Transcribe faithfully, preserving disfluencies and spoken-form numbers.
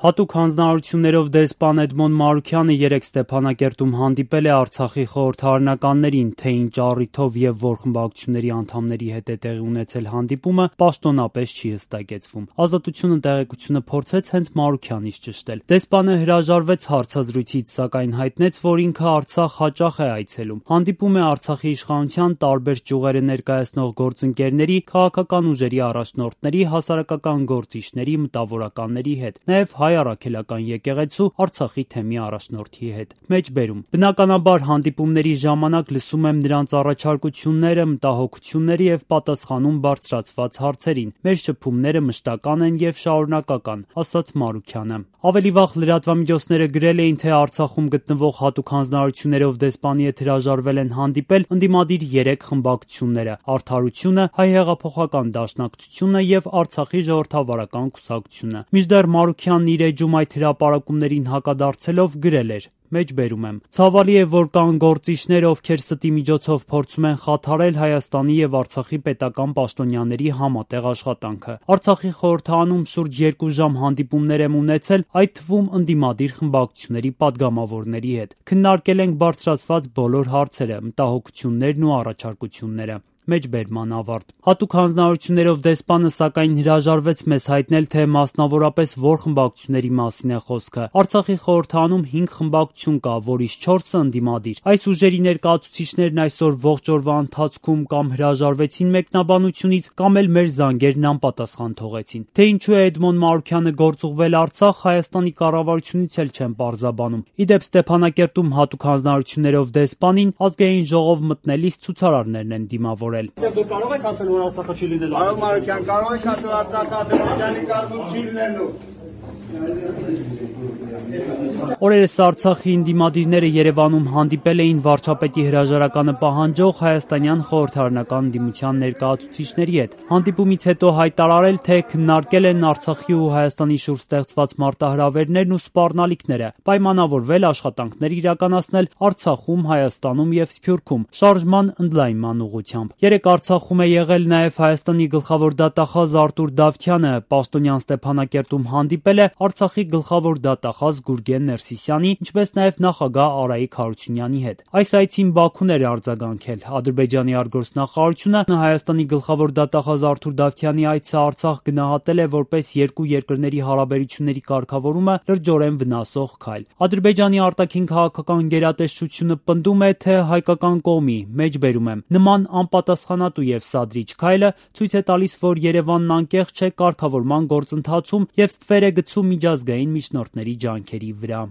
Հատուկ հանձնարարություններով դեսպան Էդմոն Մարուքյանը երեկ Ստեփանակերտում հանդիպել է Արցախի խորհրդարանականներին, թե ինչ առիթով եւ որ խմբակցությունների անդամների հետ է տեղի ունեցել հանդիպումը, պաշտոնապես չի հստակեցվում։ Ազատությունը տեղեկությունը փորձեց հենց Մարուքյանից ճշտել։ Դեսպանը հրաժարվեց հարցազրույցից, սակայն հայտնեց, որ ինքը Արցախ հաճախ է այցելում։ Հանդիպում է Արցախի իշխանության տարբեր ճյուղերը ներկայացնող գործընկերների, քաղաքական ուժերի առաջնորդների, հասարակական գործիչների, մտավորականների հետ, նաեւ հայ առաքելական եկեղեցու Արցախի թեմի առաջնորդի հետ։ Մեջբերում. բնականաբար հանդիպումների ժամանակ լսում եմ նրանց առաջարկությունները, մտահոգությունները եւ պատասխանում բարձրացված հարցերին։ Մեր շփումները մշտական են եւ շարունակական, ասաց Մարուքյանը։ Ավելի վաղ լրատվամիջոցները գրել էին, թե Արցախում գտնվող հատուկ հանձնարարություններով դեսպանի հետ հրաժարվել են հանդիպել ընդդիմադիր երեք խմբակցությունները՝ Արդարությունը, Հայ հեղափոխական դաշնակցությունը եւ Արցախի ժողովրդավարական կուսակցությունը։ Մինչդեռ Մարուքյանն իր էջում այդ հրապարակումներին հակադարձելով գրել էր. Մեջբերում եմ. Ցավալի է, որ կան գործիչներ, ովքեր ստի միջոցով փորձում են խաթարել Հայաստանի եւ Արցախի պետական պաշտոնյաների համատեղ աշխատանքը։ Արցախի խորհրդարանում շուրջ երկու ժամ հանդիպումներ եմ ունեցել, այդ թվում ընդդիմադիր խմբակցությունների падգամավորների հետ։ Քննարկել ենք բարձրացված բոլոր հարցերը, մտահոգություններն ու առաջարկությունները։ Մեջբերման ավարտ։ Հատուկ հանձնարարություններով դեսպանը սակայն հրաժարվեց մեզ հայտնել, թե մասնավորապես որ խմբակցությունների մասին է խոսքը։ Արցախի խորհրդարանում հինգ խմբակցություն կա, որից չորսը ընդդիմադիր։ Այս ուժերի ներկայացուցիչներն այսօր ողջ օրվա ընթացքում կամ հրաժարվեցին մեկնաբանությունից, կամ էլ մեր զանգերն անպատասխան թողեցին։ Թե ինչու է Էդմոն Մարուքյանը գործուղվել Արցախ, Հայաստանի կառավարությունից էլ չեմ պարզաբանում։ Իդեպ Ստեփանակերտում հատուկ հանձնարարություններով դեսպանին Ազգային ժողով մտնելիս ցուցարարներն են դիմավորել։ Դուք կարող եք ասել, որ Արցախը չի լինելու։ Այո, Մարուքյան, կարող եք ասել Արցախը Ադրբեջանի կազմում չի լինելու։ Օրերս Արցախի ընդդիմադիրները Երևանում հանդիպել էին վարչապետի հրաժարականը պահանջող հայաստանյան խորհրդարանական ընդդիմության ներկայացուցիչների հետ։ Հանդիպումից հետո հայտարարել, թե քննարկել են Արցախի ու Հայաստանի շուրջ ստեղծված մարտահրավերներն ու սպառնալիքները, պայմանավորվել աշխատանքներ իրականացնել Արցախում, Հայաստանում եւ Սփյուռքում շարժման ընդլայնման ուղղությամբ։ Երեք Արցախում է եղել նաեւ Հայաստանի գլխավոր դատախազ Արտուր Դավթյանը, պաշտոնյան Ստեփանակերտում հանդիպել է Արցախի գլխավոր դատախազ Գուրգեն Ներսիսյանի, ինչպես նաև նախագահ Արայիկ Հարությունյանի հետ։ Այս այցին Բաքուն էր արձագանքել։ Ադրբեջանի արտգործնախարարությունը Հայաստանի գլխավոր դատախազ Արտուր Դավթյանի այցը Արցախ գնահատել է որպես երկու երկրների հարաբերությունների կարգավորումը լրջորեն վնասող քայլ։ Ադրբեջանի արտաքին քաղաքական գերատեսչությունը պնդում է, թե հայկական կողմի, մեջբերում եմ, նման անպատասխանատու եւ սադրիչ քայլը ցույց է տալիս, որ Երևանն անկեղծ չէ կարգավորման գործընթացում եւ ստվեր է գցում միջազգային միջնորդների ջանքերի վրա։